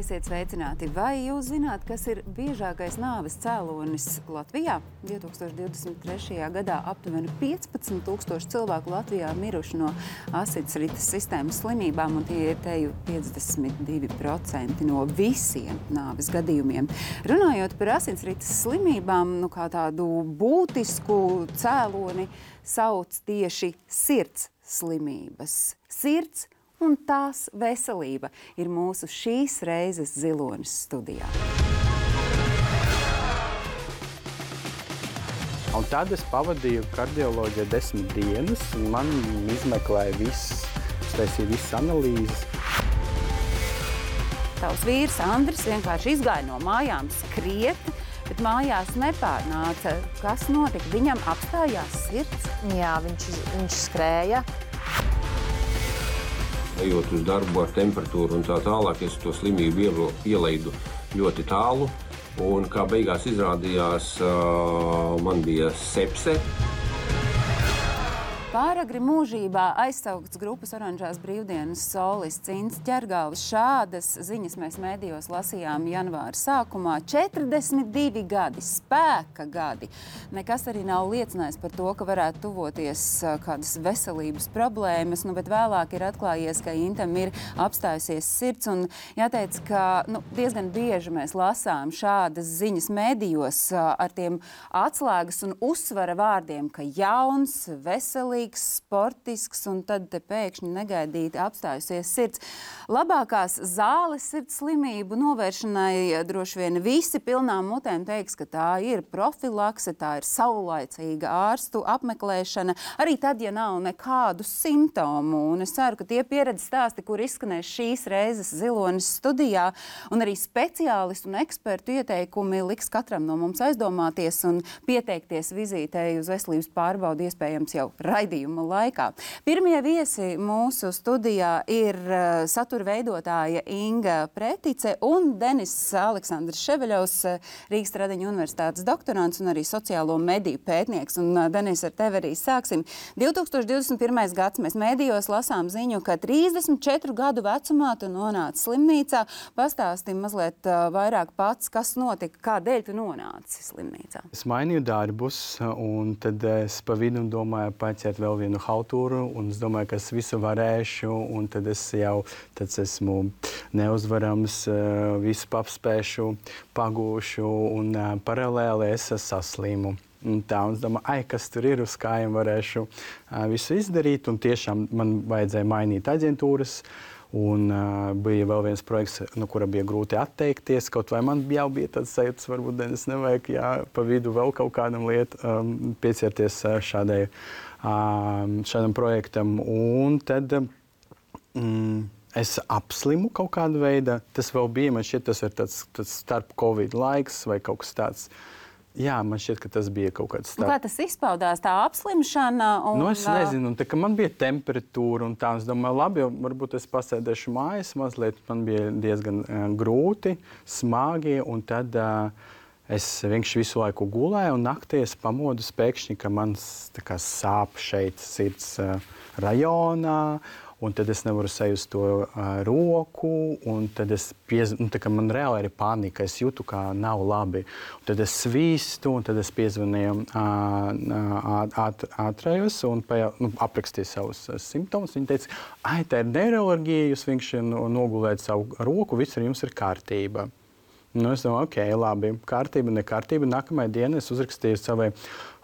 Esiet sveicināti! Vai jūs zināt, kas ir biežākais nāves cēlonis Latvijā? 2023. gadā aptuveni 15,000 cilvēku Latvijā miruši no asinsrites sistēmas slimībām, un tie ir teju 52% no visiem nāves gadījumiem. Runājot par asinsrites slimībām, kā tādu būtisku cēloni sauc tieši sirds slimības. Sirds un tās veselība ir mūsu šīs reizes Zilonis studijā. Un tad es pavadīju kardioloģijā 10 dienas, un man izmeklēja taisīja visas analīzes. Tavs vīrs Andris vienkārši izgāja no mājām skriet, bet mājās nepārnāca. Kas notika? Viņam apstājās sirds? Jā, viņš skrēja. Ejot uz darbu ar temperatūru un tā tālāk, es to slimību ielaidu ļoti tālu. Un kā beigās izrādījās, man bija sepse. Pāragri mūžībā aizsaukts grupas Oranžās brīvdienas solists Ints Ķergālis. Šādas ziņas mēs mēdījos lasījām janvāra sākumā. 42 gadi, spēka gadi. Nekas arī nav liecinājis par to, ka varētu tuvoties kādas veselības problēmas, bet vēlāk ir atklājies, ka Intam ir apstājusies sirds. Un jāteic, ka diezgan bieži mēs lasām šādas ziņas mēdījos ar tiem atslēgas un uzsvara vārdiem, ka jauns, veselīgs, sportisks, un tad te pēkšņi negaidīti apstājusies sirds. Labākās zāles sirds slimību novēršanai droši vien visi pilnām mutēm teiks, ka tā ir profilakse, tā ir saulaicīga ārstu apmeklēšana, arī tad, ja nav nekādu simptomu. Un es ceru, ka tie pieredzes stāsti, kur izskanēs šīs reizes Zilonis studijā, un arī speciālistu un ekspertu ieteikumi liks katram no mums aizdomāties un pieteikties vizītei uz veselības pārbaudi iespējams jau raidījuma laikā. Pirmie viesi mūsu studijā ir satura veidotāja Inga Pretice un Denis Aleksandrs Ševeļovs, Rīgas Tradiņu universitātes doktorants un arī sociālo mediju pētnieks. Un, Denis, ar tevi arī sāksim. 2021. gads mēs medijos lasām ziņu, ka 34 gadu vecumā tu nonāci slimnīcā. Pastāsti mazliet vairāk pats, kas notika, kādēļ tu nonāci slimnīcā. Es mainīju darbus, un tad es pa vidu domāju paciet vēl vienu haltūru, un es domāju, ka es visu varēšu, un tad es esmu neuzvarams, visu apspēšu, pagūšu, un paralēli es saslimu. Un tā, un es domāju, kas tur ir, uz kājiem varēšu visu izdarīt, un tiešām man vajadzēja mainīt aģentūras. Un bija vēl viens projekts, no kura bija grūti atteikties. Kaut vai man jau bija tāds sajūtas, varbūt es nevajag pa vidu vēl kaut kādam pieķerties šādam projektam. Un tad es apslimu kaut kādu veidu. Tas vēl bija, man šķiet, tas ir tāds starp Covid laiks vai kaut kas tāds. Jā, man šķiet, ka tas bija kaut kāds tāds. Kā tas izpaudās, tā apslimšana? Es nezinu, tā, ka man bija temperatūra un tā. Es domāju, labi, varbūt es pasēdēšu mājās mazliet. Man bija diezgan grūti, smagi, un tad es vienkārši visu laiku gulēju, un naktī es pamodu pēkšņi, ka man sāp šeit sirds rajonā. Un tad es nevaru sajust to roku, un tad man reāli ir panika, es jūtu, ka nav labi. Un tad es svīstu, un tad es piezvanīju ātrajos un aprakstīju savus simptomus. Viņi teica, tā ir neiroloģija, jūs vienkārši nogulējat savu roku, viss ar jums ir kārtība. Es domāju, labi, kārtība, nekārtība. Nākamajā dienā es uzrakstīju savai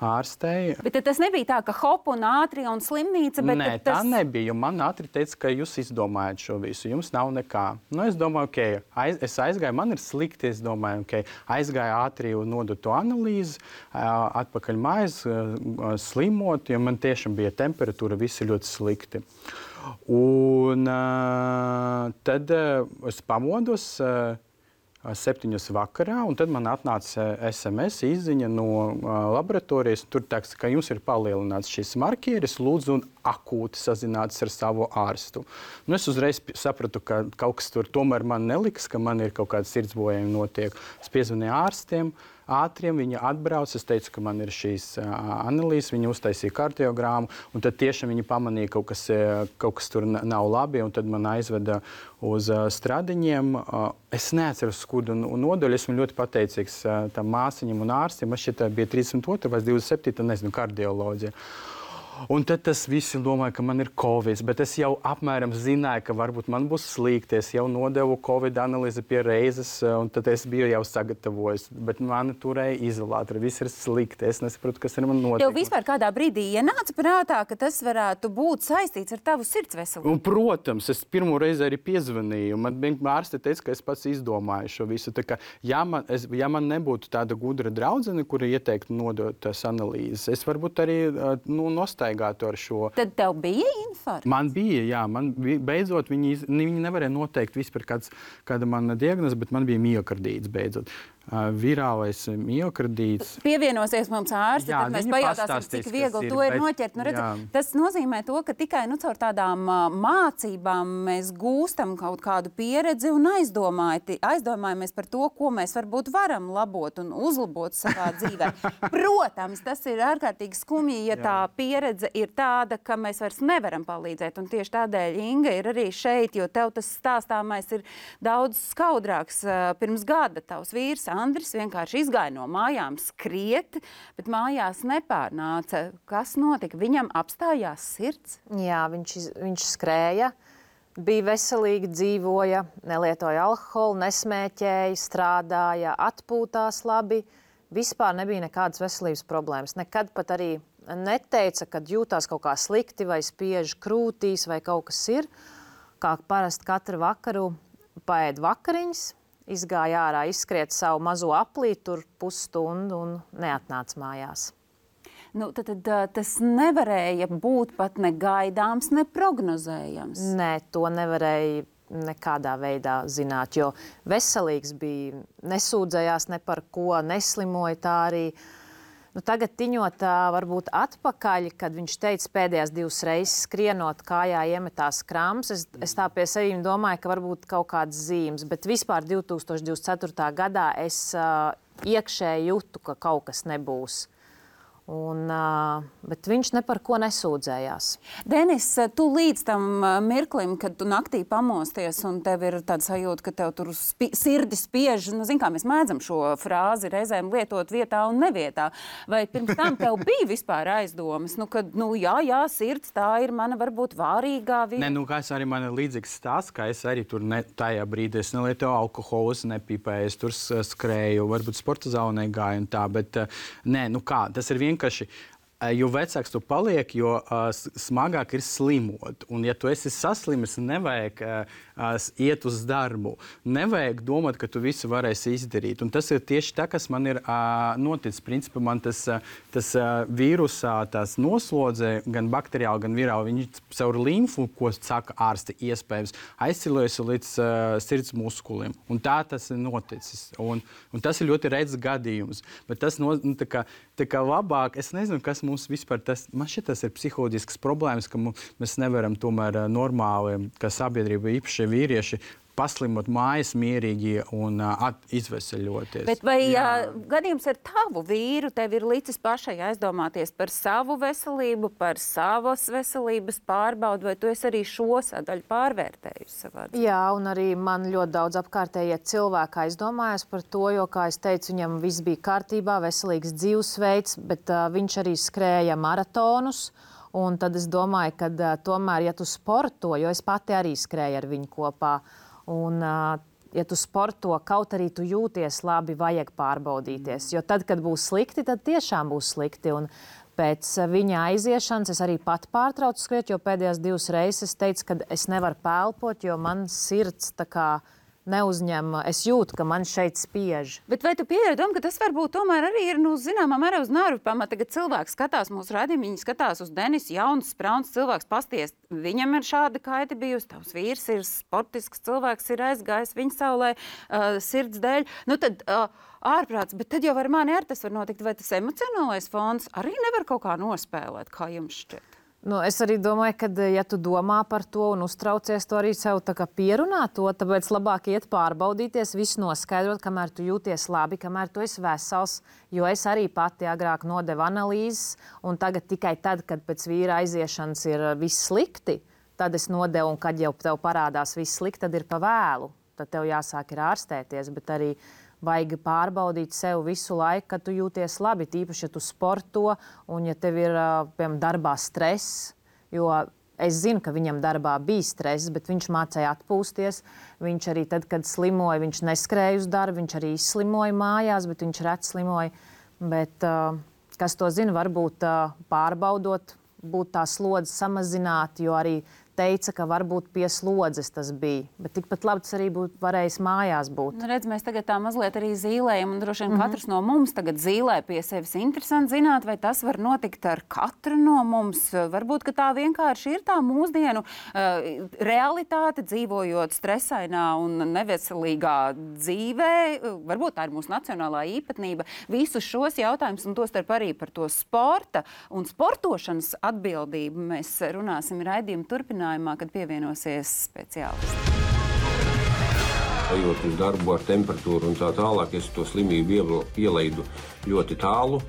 ārstei. Bet tas nebija tā, ka hop un ātri un slimnīca, bet Nē, tā nebija. Man ātri teica, ka jūs izdomājat šo visu, jums nav nekā. Es domāju, es aizgāju, man ir slikti, es domāju, aizgāju ātri un nodu to analīzi, atpakaļ mājās, slimot, jo man tiešām bija temperatūra, visi ļoti slikti. Un tad es pamodos 7 vakarā, un tad man atnāca SMS izziņa no laboratorijas. Tur teiks, ka jums ir palielināts šis marķieris, lūdzu akūti sazināties ar savu ārstu. Nu, es uzreiz sapratu, ka kaut kas tur tomēr man neliks, ka man ir kaut kāda sirdsbojājumi notiek. Es piezvanīju ārstiem, ātriem, viņi atbrauc, es teicu, ka man ir šīs analīzes, viņi uztaisīja kardiogrammu, un tad tiešām viņi pamanīja, kaut kas tur nav labi, un tad man aizveda uz Stradiņiem. Es neatceros skudu un nodaļu, esmu ļoti pateicīgs tam māsiņam un ārstiem. Man šķiet, bija 32. vai 27. nezinu, kardioloģija. Un tad tas visi domāja, ka man ir Covid, bet es jau apmēram zināju, ka varbūt man būs slikti. Es jau nodevu Covid analīzi pie reizes, un tad es biju jau sagatavojis. Bet mani turēja izolātori, viss ir slikti. Es nesaprotu, kas ar mani notiek. Tev vispār kādā brīdī ienāca prātā, ka tas varētu būt saistīts ar tavu sirds veselību? Un, protams, es pirmo reizi arī piezvanīju. Man ārste teica, ka es pats izdomāju šo visu. Tā kā, ja man nebūtu tāda gudra draudzene, kura ieteiktu nodot tās analīzes, es varbūt arī nostaigātu ar šo. Tad tev bija infarkts? Man bija, jā. Beidzot, viņi nevarēja noteikt vispār kāda mana diagnoze, bet man bija miokardīts beidzot. Virālais miokardīts. Pievienosies mums ārsti, tad mēs pajautāsim, cik viegli to ir noķert. Tas nozīmē to, ka tikai caur tādām mācībām mēs gūstam kaut kādu pieredzi un aizdomājamies par to, ko mēs varbūt varam labot un uzlabot savā dzīvē. Protams, tas ir ārkārtīgi skumji, ja tā pieredze ir tāda, ka mēs vairs nevaram palīdzēt. Un tieši tādēļ Inga ir arī šeit, jo tev tas stāstāmais ir daudz skaudrāks. Pirms gada tavs vīrs Andris vienkārši izgāja no mājām skriet, bet mājās nepārnāca. Kas notika? Viņam apstājās sirds? Jā, viņš skrēja, bija veselīgi, dzīvoja, nelietoja alkoholu, nesmēķēja, strādāja, atpūtās labi. Vispār nebija nekādas veselības problēmas. Nekad pat arī neteica, kad jūtās kaut kā slikti vai spiež krūtīs vai kaut kas ir. Kā parasti katru vakaru paēd vakariņas, izgāja ārā, izskriet savu mazo aplī, tur pusstundu un neatnāca mājās. Tad tas nevarēja būt pat ne gaidāms, ne prognozējams. Nē, to nevarēja nekādā veidā zināt, jo veselīgs bija, nesūdzējās ne par ko, neslimoja tā arī. Tagad tiņot varbūt atpakaļ, kad viņš teica pēdējās 2 reizes skrienot kājā iemetās krams, es tā pie sevīm domāju, ka varbūt kaut kādas zīmes, bet vispār 2024. gadā es iekšēji jūtu, ka kaut kas nebūs. Bet viņš ne par ko nesūdzējās. Denis, tu līdz tam mirklim, kad tu naktī pamosties un tev ir tāda sajūta, ka tev tur sirdi spiež, zin kā mēs mēdzam šo frāzi reizēm lietot vietā un nevietā. Vai pirms tam tev bija vispār aizdomas? Jā, sirds, tā ir mana varbūt vārīgā vieta. Kā es arī man ir līdzīgs stāsts, ka es arī tur tajā brīdī es nelietoju alkoholu, es nepīpēju, es tur skrēju, varbūt sporta zālē gāju un tā, bet tas ir vienkārši, jo vecāks tu paliek, jo smagāk ir slimot. Un ja tu esi saslimis, nevajag iet uz darbu. Nevajag domāt, ka tu visu varēsi izdarīt. Un tas ir tieši tā, kas man ir noticis. Principā man tas vīrusā tās noslodze, gan bakteriāli, gan virāli, viņi caur limfu, ko saka ārsti iespējams, aizcilojas līdz sirds muskuliem. Un tā tas ir noticis. Un tas ir ļoti redz gadījums. Bet tas tā kā labāk, es nezinu, kas mums vispār man šķiet, tas ir psiholoģisks problēmas, ka mēs nevaram tomēr normāli, kā sabiedrība, īpaši vīrieši, paslimot mājas mierīgi un izveseļoties. Bet vai gadījums ar tavu vīru tev ir licis pašai aizdomāties par savu veselību, par savas veselības pārbaudu, vai tu esi arī šo sadaļu pārvērtējusi savā dzīvē? Jā, un arī man ļoti daudz apkārtējie cilvēki aizdomājas par to, jo, kā es teicu, viņam viss bija kārtībā, veselīgs dzīvesveids, bet viņš arī skrēja maratonus. Un tad es domāju, ka tomēr, ja tu sporto, jo es pati arī skrēju ar viņu kopā, un, ja tu sporto, kaut arī tu jūties labi, vajag pārbaudīties. Jo tad, kad būs slikti, tad tiešām būs slikti. Un pēc viņa aiziešanas es arī pat pārtraucu skriet, jo pēdējās 2 reizes es teicu, ka es nevaru pelpot, jo man sirds tā kā neuzņem, es jūtu, ka man šeit spiež. Bet vai tu pieļauj domu, ka tas varbūt tomēr arī ir, zināmā mērā uz nervu pamata, kad cilvēks skatās mūsu raidījumu, viņi skatās uz Denisu, jauns, sprauns cilvēks, pasties, viņam ir šāda kaita bijusi, tavs vīrs ir sportisks cilvēks, ir aizgājis viņa saulē sirds dēļ. Tad ārprāts, bet tad jau ar mani tas var notikt, vai tas emocionālais fons arī nevar kaut kā nospēlēt, kā jums šķiet? Nu, es arī domāju, ka, ja tu domā par to un uztraucies, to arī sev tā kā pierunā to, tāpēc labāk iet pārbaudīties, visu noskaidrot, kamēr tu jūties labi, kamēr tu esi vesels, jo es arī pati agrāk nodevu analīzes, un tagad tikai tad, kad pēc vīra aiziešanas ir viss slikti, tad es nodevu, un kad jau tev parādās viss slikti, tad ir pa vēlu. Tad tev jāsāk ir ārstēties, bet arī vajag pārbaudīt sev visu laiku, kad tu jūties labi, tīpaši, ja tu sporto un ja tev ir, piemēram, darbā stress, jo es zinu, ka viņam darbā bija stress, bet viņš mācēja atpūsties. Viņš arī tad, kad slimoja, viņš neskrēja uz darbu, viņš arī izslimoja mājās, bet viņš reti slimoja. Bet, kas to zina, varbūt pārbaudot, būt tā slodze samazināt, jo arī teica, ka varbūt pie slodzes tas bija. Bet tikpat labi tas arī būtu varējis mājās būt. Nu, redz, mēs tagad tā mazliet arī zīlējam, un droši vien katrs no mums tagad zīlē pie sevis. Interesanti zināt, vai tas var notikt ar katru no mums. Varbūt, ka tā vienkārši ir tā mūsdienu realitāte, dzīvojot stresainā un neveselīgā dzīvē. Varbūt tā ir mūsu nacionālā īpatnība. Visus šos jautājumus, un tostarp arī par to sporta un sportošanas atbildību mēs runāsim raidījuma turpinājumā, kad pievienosies speciālisti. Ejot uz darbu ar temperatūru un tā tālāk, es to slimību ielaidu ļoti tālu.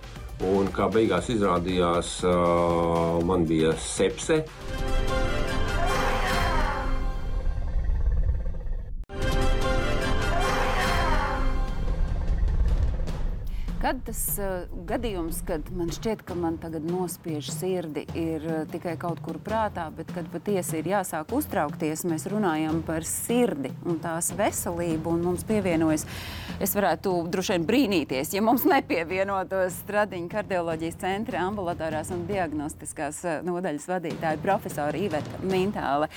Un kā beigās izrādījās, man bija sepse. Kad tas gadījums, kad man šķiet, ka man tagad nospiež sirdi, ir tikai kaut kur prātā, bet kad patiesi ir jāsāk uztraukties, mēs runājam par sirdi un tās veselību, un mums pievienojas, es varētu droši vien brīnīties, ja mums nepievienotos Stradiņa kardioloģijas centra ambulatorās un diagnostiskās nodaļas vadītāja profesora Iveta Mintāle.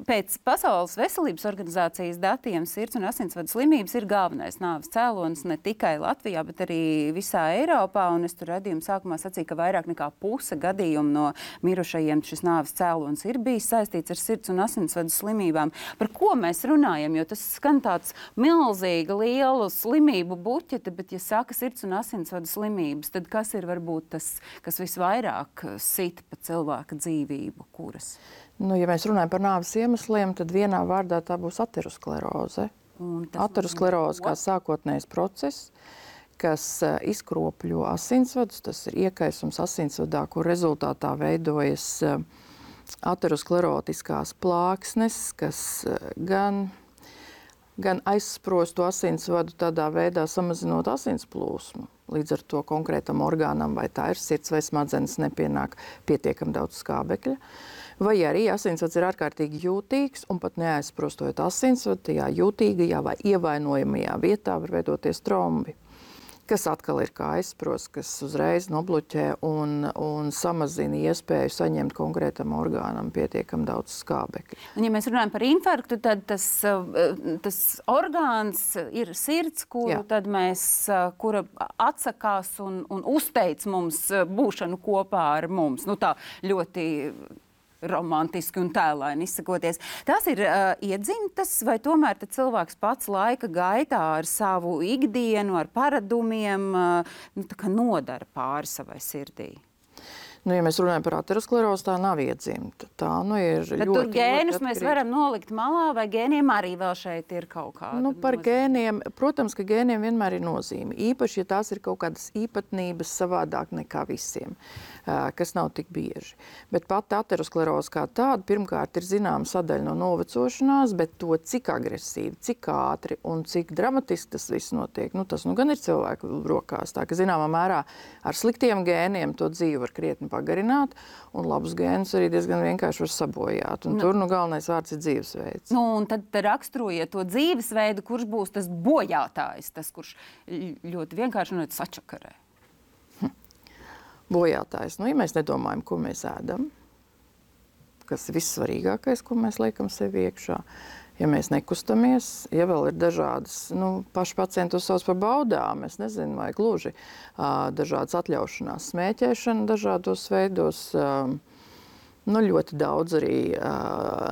Pēc Pasaules veselības organizācijas datiem sirds un asinsvadu slimības ir galvenais nāves cēlonis ne tikai Latvijā, bet arī visā Eiropā, un es tur redzējumu sākumā sacīju, ka vairāk nekā puse gadījumu no mirušajiem šis nāves cēlonis ir bijis saistīts ar sirds un asinsvadu slimībām. Par ko mēs runājam? Jo tas skan tāds milzīga, liela slimību buķete, bet ja saka sirds un asinsvadu slimības, tad kas ir varbūt tas, kas visvairāk sit pa cilvēka dzīvību, kuras? Nu, ja mēs runājam par nāves iemesliem, tad vienā vārdā tā būs ateroskleroze. Ateroskleroze kā sākotnējs process, kas izkropļo asinsvadus, tas ir iekaisums asinsvadā, kur rezultātā veidojas aterosklerotiskās plāksnes, kas gan aizsprostu asinsvadu tādā veidā samazinot asins plūsmu. Līdz ar to konkrētam orgānam, vai tā ir sirds vai smadzenes, nepienāk pietiekam daudz skābekļa. Vai arī asinsvads ir ārkārtīgi jūtīgs un pat neaizsprostojot asinsvadu, tajā jūtīgajā vai ievainojamajā vietā var veidoties trombi, kas atkal ir kā aizsprosts, kas uzreiz nobloķē un samazina iespēju saņemt konkrētam orgānam pietiekam daudz skābekļa. Un ja mēs runājam par infarktu, tad tas orgāns ir sirds, kura atsakās un uzteic mums būšanu kopā ar mums. Nu, tā ļoti romantiski un tēlaini izsakoties. Tās ir iedzimtas, vai tomēr tad cilvēks pats laika gaitā ar savu ikdienu, ar paradumiem nodara pāri savai sirdī? Nu, ja mēs runājam par aterosklerozi, tā nav iedzimta. Tā ir bet ļoti, tur gēnus ļoti mēs varam nolikt malā, vai gēniem arī vēl šeit ir kaut kāda? Nu, par gēniem, protams, ka gēniem vienmēr ir nozīme. Īpaši, ja tās ir kaut kādas īpatnības savādāk nekā visiem, kas nav tik bieži. Bet pat ateroskleroze kā tāda, pirmkārt, ir zināma sadaļa no novecošanās, bet to, cik agresīvi, cik ātri un cik dramatiski tas viss notiek, tas gan ir cilvēku rokās. Tā, ka zināmā mērā ar sliktiem gēniem to dzīvi var krietni pagarināt, un labus gēnus arī diezgan vienkārši var sabojāt. Un tur galvenais vārds ir dzīvesveids. Un tad raksturojiet to dzīvesveidu, kurš būs tas bojātājs, tas, kurš ļoti vienkārši sačakarē. Bojātājs. Ja mēs nedomājam, ko mēs ēdam, kas ir vissvarīgākais, ko mēs liekam sevi iekšā, ja mēs nekustamies, ja vēl ir dažādas, paši pacienti to sauc par baudām, es nezinu, vai gluži dažādas atļaušanās, smēķēšana dažādos veidos, Nu, ļoti daudz arī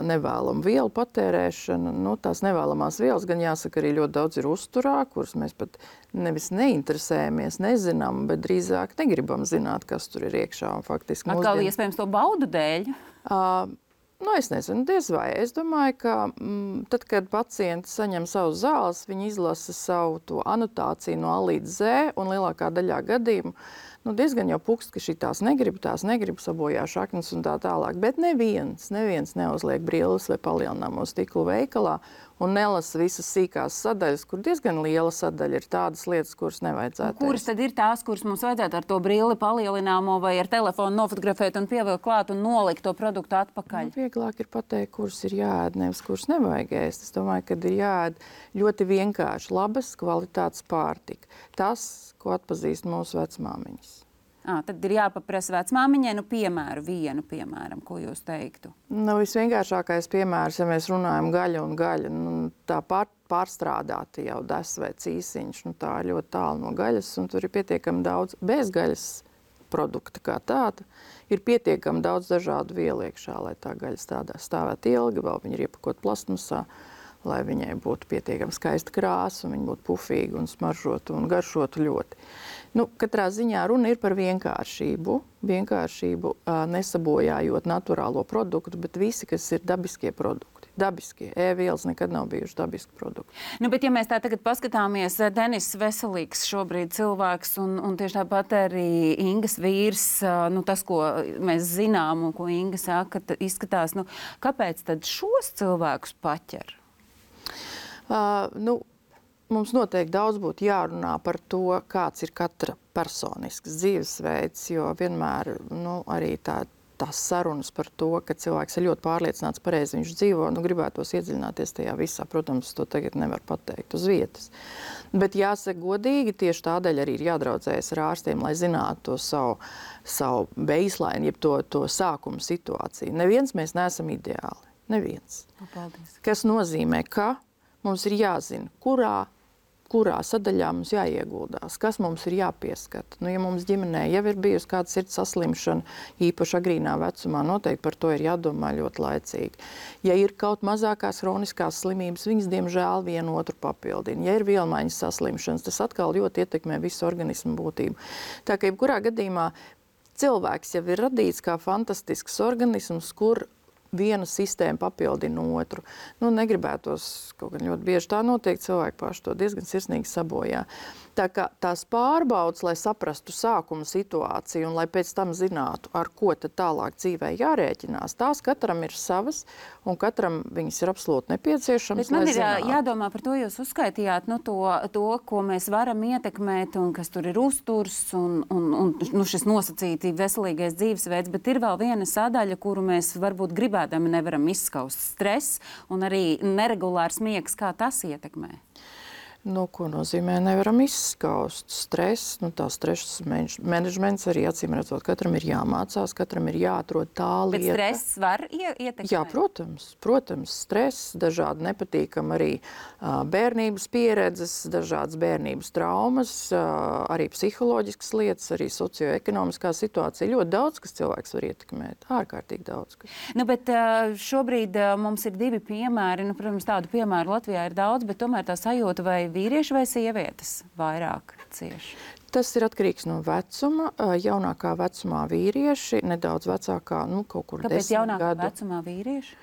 nevēlamu vielu patērēšana. Nu, tās nevēlamās vielas, gan jāsaka, arī ļoti daudz ir uzturā, kuras mēs pat nevis neinteresējamies, nezinām, bet drīzāk negribam zināt, kas tur ir iekšā. Un faktiski Atkal iespējams to baudu dēļ? Nu, es nezinu, diez vai. Es domāju, ka tad, kad pacienti saņem savu zāles, viņi izlasa savu to anotāciju no A līdz Z, un lielākā daļā gadījumu diezgan jau pukst, ka šī tās negrib, sabojā šaknes un tā tālāk. Bet neviens neuzliek brilles vai palielināmo stiklu veikalā un nelasa visas sīkās sadaļas, kur diezgan liela sadaļa ir tādas lietas, kuras nevajadzētu. Kuras tad ir tās, kuras mums vajadzētu ar to brilli palielināmo vai ar telefonu nofotografēt un pievilkt klāt un nolikt to produktu atpakaļ? Vieglāk ir pateikt, kuras ir jāēd, nevis kuras nevajag ēst. Es domāju, ka ir jāēd ļoti vienkārši labas kvalitātes pārtika. Tas, ko atpazīst mūsu vecmāmiņas. Tad ir jāpaprasa vecmāmiņai, vienu piemēram, ko jūs teiktu? Visvienkāršākais piemērs, ja mēs runājam gaļa un gaļa, tā pārstrādāta jau des vai cīsiņš, tā ir ļoti tālu no gaļas, un tur ir pietiekami daudz bezgaļas produkta kā tāda. Ir pietiekami daudz dažādu vielu iekšā, lai tā gaļa stāvētu ilgi, vēl viņi ir iepakot plastmasā, lai viņai būtu pietiekami skaista krāsa, un viņa būtu pufīga un smaržotu un garšotu ļoti. Katrā ziņā runa ir par vienkāršību, nesabojājot naturālo produktu, bet visi, kas ir dabiskie produkti. Dabiskie. E-vielas nekad nav bijuši dabiski produkti. Bet ja mēs tā tagad paskatāmies, Denis veselīgs šobrīd cilvēks un tieši tāpat arī Ingas vīrs, tas, ko mēs zinām un ko Inga saka, izskatās, kāpēc tad šos cilvēkus paķer? Mums noteikti daudz būtu jārunā par to, kāds ir katra personisks dzīvesveids, jo vienmēr arī tās sarunas par to, ka cilvēks ir ļoti pārliecināts pareizi viņš dzīvo, gribētos iedziļināties tajā visā. Protams, to tagad nevar pateikt uz vietas. Bet jāsaka godīgi, tieši tādēļ arī ir jādraudzējas ar ārstiem, lai zinātu to savu baseline, jeb to sākuma situāciju. Neviens mēs neesam ideāli. Neviens. Paldies. Kas nozīmē, ka mums ir jāzina, kurā sadaļā mums jāieguldās, kas mums ir jāpieskata. Ja mums ģimenē jau ir bijusi kāda sirds saslimšana, īpaši agrīnā vecumā, noteikti par to ir jādomā ļoti laicīgi. Ja ir kaut mazākās hroniskās slimības, viņas diemžēl vienu otru papildina. Ja ir vielmaiņas saslimšanas, tas atkal ļoti ietekmē visu organismu būtību. Tā kā jebkurā gadījumā cilvēks jau ir radīts kā fantastisks organisms, kur viena sistēma papildina otru. Negribētos, kaut gan ļoti bieži tā notiek, cilvēki paši to diezgan sirsnīgi sabojā. Tā kā tās pārbaudas, lai saprastu sākuma situāciju un lai pēc tam zinātu, ar ko tad tālāk dzīvē jārēķinās, tās katram ir savas un katram viņas ir absolūti nepieciešamas. Bet man ir jādomā par to, jūs uzskaitījāt to, ko mēs varam ietekmēt un kas tur ir uzturs un šis nosacīti veselīgais dzīvesveids, bet ir vēl viena sadaļa, kuru mēs varbūt gribēdami nevaram izskaust. Stress un arī neregulārs miegs, kā tas ietekmē? Ko nozīmē nevaram izskaust? Stress, tā stresa menedžments arī acīm redzot, katram ir jāmācās, katram ir jāatrod tā lieta. Bet stress var ietekmēt? Jā, protams, stress, dažādi nepatīkami arī bērnības pieredzes, dažādas bērnības traumas, arī psiholoģiskas lietas, arī socioekonomiskā situācija. Ļoti daudz, kas cilvēks var ietekmēt, ārkārtīgi daudz. Bet šobrīd mums ir divi piemēri, protams, tādu piemēru Latvijā ir daudz, bet tomēr tā sajūta vai vīrieši vai sievietes vairāk cieši? Tas ir atkarīgs no vecuma. Jaunākā vecumā vīrieši, nedaudz vecākā, kaut kur 10 gadu. Kāpēc jaunākā vecumā vīrieši?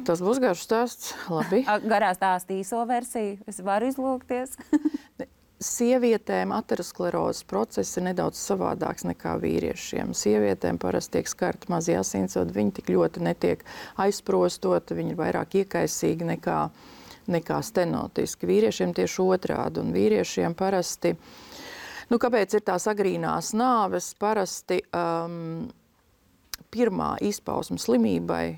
Tas būs garš stāsts. Labi. Garā stāsta īso versiju. Es varu izlūgties. Sievietēm aterosklerozes process ir nedaudz savādāks nekā vīriešiem. Sievietēm parasti tiek skarti mazie asinsvadi, viņi tik ļoti netiek aizprostoti, viņi ir vairāk iekaisīgi nekā stenotiski. Vīriešiem tieši otrādi, un vīriešiem parasti, kāpēc ir tās agrīnās nāves, parasti pirmā izpausme slimībai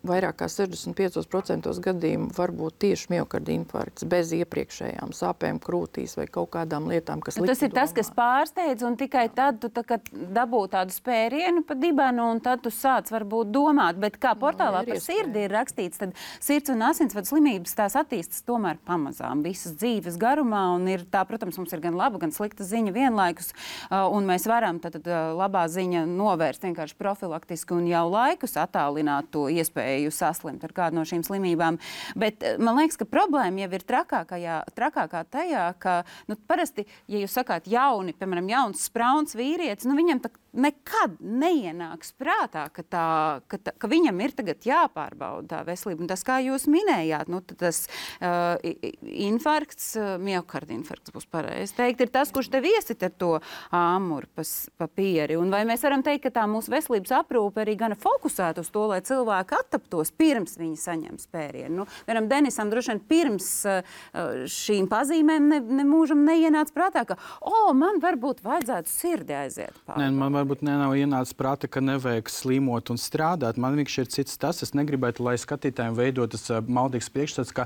vairāk kā 65% gadījumu var būt tieši miokarda infarkts bez iepriekšējām sāpēm krūtīs vai kaut kādām lietām, kas tas ir tas, kas pārsteidz, un tikai tad tu dabū tādu spērienu pa dibenu, un tad tu sāc varbūt domāt. Bet kā portālā par sirdi ir rakstīts, tad sirds un asinsvadu slimības tās attīstas tomēr pamazām visas dzīves garumā, un ir tā, protams, mums ir gan laba, gan slikta ziņa vienlaikus, un mēs varam tad labā ziņa novērst vienkārši profilaktiski un jau laikus attālināt to iespēju saslimt ar kādu no šīm slimībām. Bet man liekas, ka problēma jau ir trakākā tajā, ka parasti, ja jūs sakāt piemēram, jauns sprauns vīrietis, viņam nekad neienāks prātā, ka viņam ir tagad jāpārbauda tā veselība. Un tas, kā jūs minējāt, tas infarkts, miokarda infarkts būs pareizi teikt, ir tas, kurš tev iesit ar to āmuru pa pieri. Un vai mēs varam teikt, ka tā mūsu veselības aprūpe arī gana fokusēta uz to, lai cilvēki attaptos pirms viņi saņem spērienu? Vienam Denisam droši vien pirms šīm pazīmēm nemūžam neienāca prātā, ka man varbūt vajadzētu sirdi aiziet pār. Varbūt nav ienācis prāta, ka nevajag slimot un strādāt. Man vienkārši ir cits tas. Es negribētu, lai skatītājiem veidotas maldīgs priekšstats, ka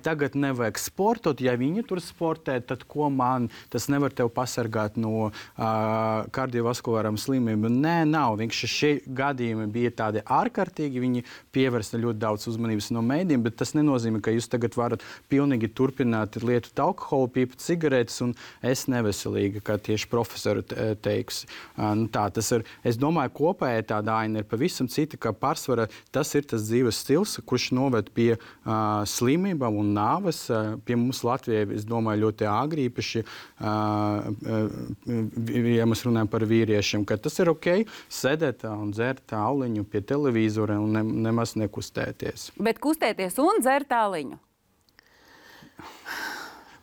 tagad nevajag sportot. Ja viņi tur sportē, tad ko man? Tas nevar tev pasargāt no kardiovaskulārām slimībām. Nē, nav. Vienkārši šie gadījumi bija tādi ārkārtīgi. Viņi pievērsta ļoti daudz uzmanības no mēdījiem, bet tas nenozīmē, ka jūs tagad varat pilnīgi turpināt lietot alkoholu, pīpt cigaretes un es neveselīgi, kā tieši profesori teiks. Tas ir, es domāju, kopēja tāda aina ir pavisam cita, ka pārsvarā tas ir tas dzīves stils, kurš noved pie slimībām un nāves. Pie mums Latvijā, es domāju, ļoti āgri, īpaši, ja mēs runājam par vīriešiem, ka tas ir ok sēdēt un dzert auliņu pie televīzora un nemaz nekustēties. Bet kustēties un dzert auliņu?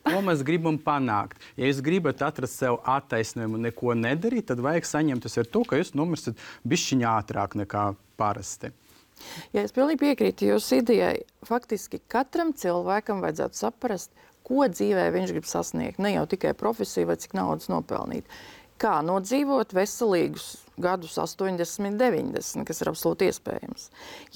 Ko mēs gribam panākt? Ja jūs gribat atrast sev attaisnojumu un neko nedarīt, tad vajag saņemties ar to, ka jūs nomirsiet bišķiņ ātrāk nekā parasti. Ja es pilnīgi piekrītu jūsu idejai. Faktiski katram cilvēkam vajadzētu saprast, ko dzīvē viņš grib sasniegt. Ne jau tikai profesiju vai cik naudas nopelnīt. Kā nodzīvot veselīgus gadus 80, 90, kas ir absolūti iespējams.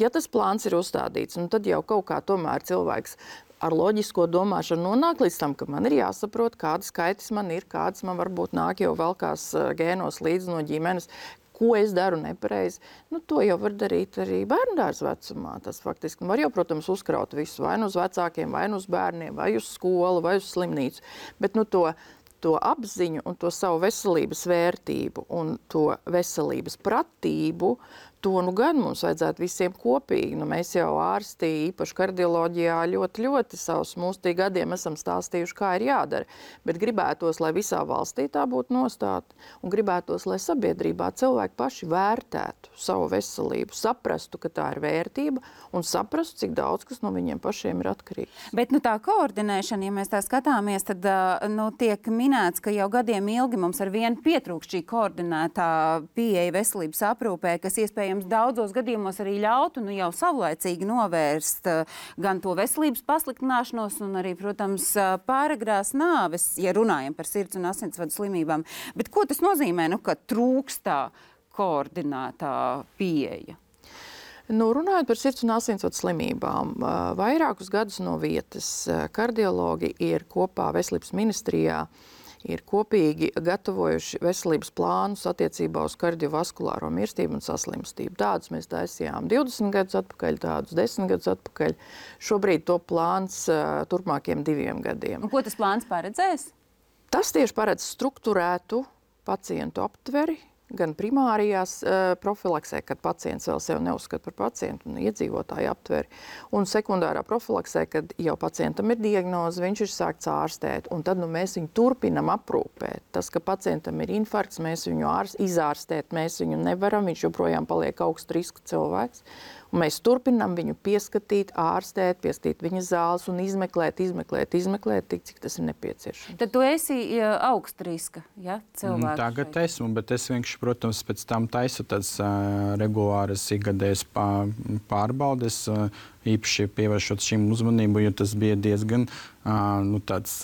Ja tas plāns ir uzstādīts, tad jau kaut kā tomēr cilvēks ar loģisko domāšanu nonāk līdz tam, ka man ir jāsaprot, kādas skaitas man ir, kādas man varbūt nāk jau velkās gēnos līdz no ģimenes, ko es daru nepareizi. To jau var darīt arī bērndārza vecumā. Tas faktiski var jau, protams, uzkraut visu vai nu uz vecākiem, vai nu uz bērniem, vai uz skolu, vai uz slimnīcu. Bet to apziņu un to savu veselības vērtību un to veselības pratību, to gan mums vajadzētu visiem kopīgi. Mēs jau ārsti, īpaši kardioloģijā, ļoti savus mūsu gadiem esam stāstījuši, kā ir jādara. Bet gribētos, lai visā valstī tā būtu nostāta, un gribētos, lai sabiedrībā cilvēki paši vērtētu savu veselību, saprastu, ka tā ir vērtība, un saprastu, cik daudz kas no viņiem pašiem ir atkarīgs. Bet tā koordinēšana, ja mēs tā skatāmies, tad tiek minēts, ka jau gadiem ilgi mums ar vienu pietrūkst šī koordinētā pieeja veselības aprūpē, kas iespējams daudzos gadījumos arī ļautu jau savlaicīgi novērst gan to veselības pasliktināšanos un arī, protams, pāragrās nāves, ja runājam par sirds un asinsvadu slimībām. Bet ko tas nozīmē, ka trūkstā koordinētā pieeja? Runājot par sirds un asinsvadu slimībām, vairākus gadus no vietas kardiologi ir kopā veselības ministrijā ir kopīgi gatavojuši veselības plānus attiecībā uz kardiovaskulāro mirstību un saslimstību. Tādus mēs taisījām 20 gadus atpakaļ, tādus 10 gadus atpakaļ. Šobrīd to plāns turpmākiem 2 gadiem. Un ko tas plāns paredzēs? Tas tieši paredz strukturētu pacientu aptveri, gan primārijās profilaksē, kad pacients vēl sev neuzskata par pacientu un iedzīvotāju aptveri, un sekundārā profilaksē, kad jau pacientam ir diagnoze, viņš ir sākts ārstēt, un tad mēs viņu turpinam aprūpēt. Tas, ka pacientam ir infarkts, mēs viņu izārstēt, mēs viņu nevaram, viņš joprojām paliek augstu riska cilvēks. Un mēs turpinām viņu pieskatīt, ārstēt, pieskatīt viņa zāles un izmeklēt, tik, cik tas ir nepieciešams. Tad tu esi augsta riska, ja, cilvēks? Tagad esmu, bet es vienkārši, protams, pēc tam taisu tādas regulāras ikgadējas pārbaudes, īpaši pievēršot šim uzmanību, jo tas bija diezgan tāds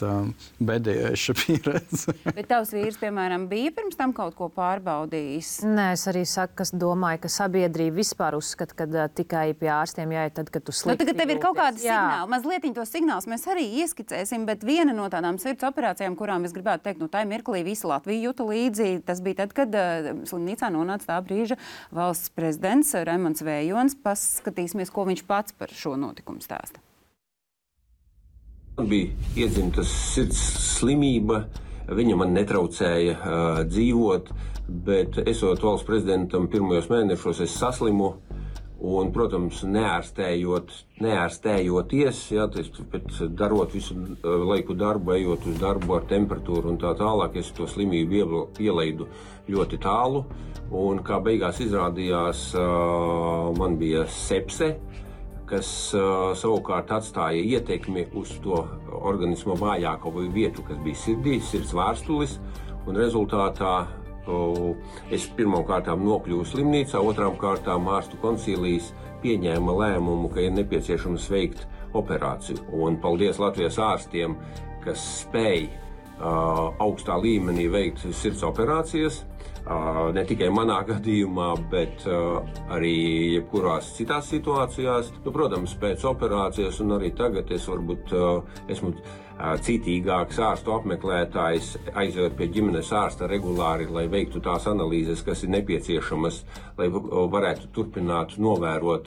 bedējoša pieredze. Bet tavs vīrs, piemēram, bija pirms tam kaut ko pārbaudījis? Nē, es arī saku, ka domāju, ka sabiedrība vispār uzskata, ka tikai pie ārstiem jāiet tad, kad tu slikti Tagad tev ir kaut kādi jūties. signāli. Mazlietiņ tos signālus mēs arī ieskicēsim, bet viena no tādām sirds operācijām, kurām es gribētu teikt, tā mirklī visa Latvija juta līdzi, tas bija tad, kad slimnīcā nonāca tā brīža valsts prezidents Raimonds Vējons. Paskatīsimies, ko viņš pats par šo notikumu stāsta. Man bija iedzimtas sirds slimība, viņa man netraucēja dzīvot, bet esot valsts prezidentam pirmajos mēnešos es saslimu un, protams, neārstējoties, bet darot visu laiku darbu, ejot uz darbu ar temperatūru un tā tālāk, es to slimību ielaidu ļoti tālu un, kā beigās izrādījās, man bija sepse, kas savukārt atstāja ietekmi uz to organisma vājāko vietu, kas bija sirdī, sirds vārstulis, un rezultātā es pirmām kārtām nokļuvu slimnīcā, otrām kārtām ārstu koncīlijas pieņēma lēmumu, ka ir nepieciešams veikt operāciju. Un paldies Latvijas ārstiem, kas spēj augstā līmenī veikt sirds operācijas, ne tikai manā gadījumā, bet arī jebkurās citās situācijās. Protams, pēc operācijas un arī tagad es varbūt esmu citīgāks ārstu apmeklētājs, aizejot pie ģimenes ārsta regulāri, lai veiktu tās analīzes, kas ir nepieciešamas, lai varētu turpināt novērot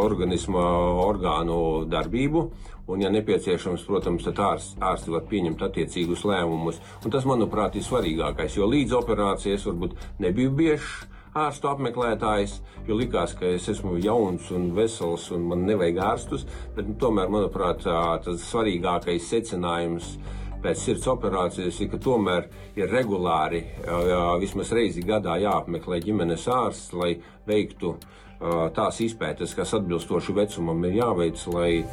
organisma orgānu darbību. Un, ja nepieciešams, protams, tad ārsti var pieņemt attiecīgus lēmumus. Un tas, manuprāt, ir svarīgākais, jo līdz operācijas varbūt nebiju biežs ārstu apmeklētājs, jo likās, ka es esmu jauns un vesels un man nevajag ārstus, bet tomēr, manuprāt, tas svarīgākais secinājums pēc sirds operācijas ir, ka tomēr ir regulāri, vismaz reizi gadā jāapmeklē ģimenes ārsts, lai veiktu tās izpētes, kas atbilstoši vecumam ir jāveic, lai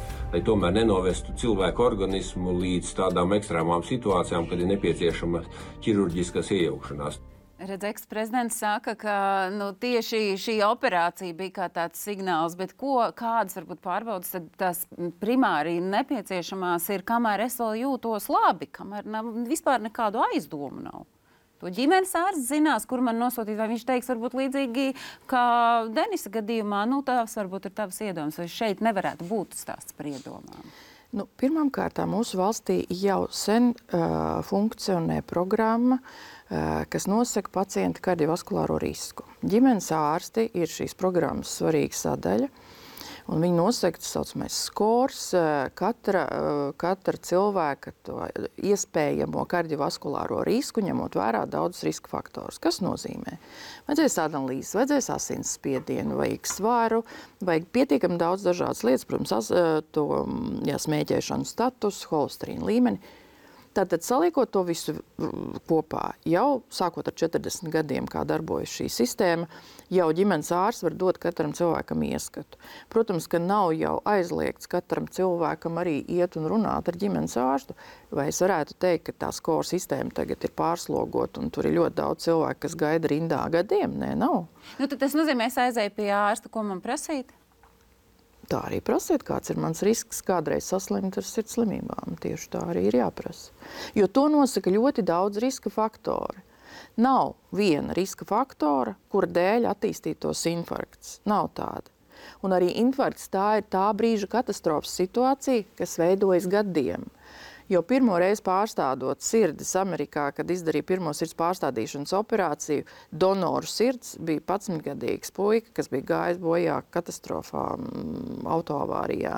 tomēr nenovestu cilvēku organismu līdz tādām ekstrēmām situācijām, kad ir nepieciešama ķirurģiskas iejaukšanās. Redz, eksprezidents saka, ka tieši šī operācija bija kā tāds signāls, bet kādas varbūt pārbaudas tad tās primāri nepieciešamās ir, kamēr es vēl jūtos labi, kamēr vispār nekādu aizdomu nav. To ģimenes ārsts zinās, kur man nosūtīt, vai viņš teiks varbūt līdzīgi kā Denisa gadījumā, tās varbūt ir tavas iedomas, vai šeit nevarētu būt stāsts par iedomām. Pirmkārt, mūsu valstī jau sen funkcionē programma, kas nosaka pacienta kardiovaskulāro risku. Ģimenes ārsti ir šīs programmas svarīga sadaļa, un viņi nosaka tas saucamais skors, katra cilvēka to iespējamo kardiovaskulāro risku, ņemot vērā daudzus riska faktorus. Kas nozīmē? Vajadzēs analīzes, vajadzēs asinsspiedienu, vajag svaru, vajag pietiekami daudz dažādas lietas, protams, smēķēšanu status, holesterīna līmeni. Tātad, saliekot to visu kopā, jau sākot ar 40 gadiem, kā darbojas šī sistēma, jau ģimenes ārsts var dot katram cilvēkam ieskatu. Protams, ka nav jau aizliegts katram cilvēkam arī iet un runāt ar ģimenes ārstu, vai es varētu teikt, ka tā skora sistēma tagad ir pārslogota un tur ir ļoti daudz cilvēku, kas gaida rindā gadiem? Nē, nav. Tad tas nozīmē, es aizēju pie ārsta, ko man prasīt? Tā arī prasiet, kāds ir mans risks kādreiz saslimt ar sirds slimībām. Tieši tā arī ir jāprasa. Jo to nosaka ļoti daudz riska faktori. Nav viena riska faktora, kura dēļ attīstītos infarkts. Nav tāda. Un arī infarkts tā ir tā brīža katastrofas situācija, kas veidojas gadiem. Jo pirmo reizi pārstādot sirdis Amerikā, kad izdarīja pirmo sirds pārstādīšanas operāciju, donoru sirds bija 11-gadīgs puika, kas bija gājis bojā katastrofā autoavārijā.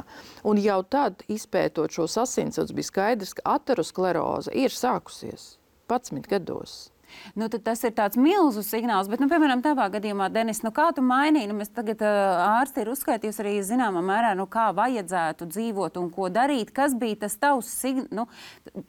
Un jau tad, izpētot šos asinsvads, bija skaidrs, ka ateroskleroze ir sākusies 11 gados. Tad tas ir tāds milzu signāls, bet, piemēram, tavā gadījumā, Denis, kā tu mainīji? Mēs tagad ārsti ir uzskaitījusi arī zināmā mērā, kā vajadzētu dzīvot un ko darīt. Kas bija tas tavs